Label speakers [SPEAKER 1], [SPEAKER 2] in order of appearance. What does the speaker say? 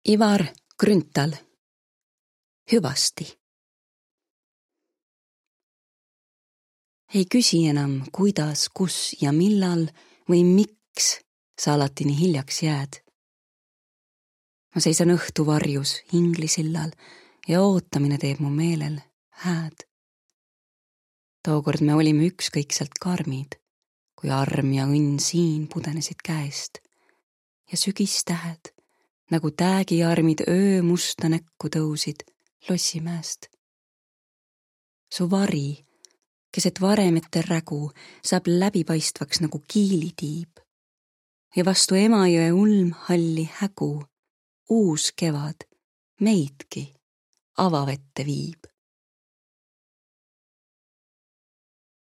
[SPEAKER 1] Ivar Grünthal. Hüvasti. Ei küsi enam, kuidas, kus ja millal või miks sa alati nii hiljaks jääd. Ma seisan õhtu varjus Inglisillal ja ootamine teeb mu meelel hääd. Tookord me olime ükskõikselt karmid, kui arm ja õnn siin pudenesid käest ja sügistähed nagu täägiarmid öö musta näkku tõusid Lossimäest. Su vari, keset varemete rägu, saab läbipaistvaks nagu kiilitiib ja vastu Emajõe ulmhalli hägu uus kevad meidki avavette viib.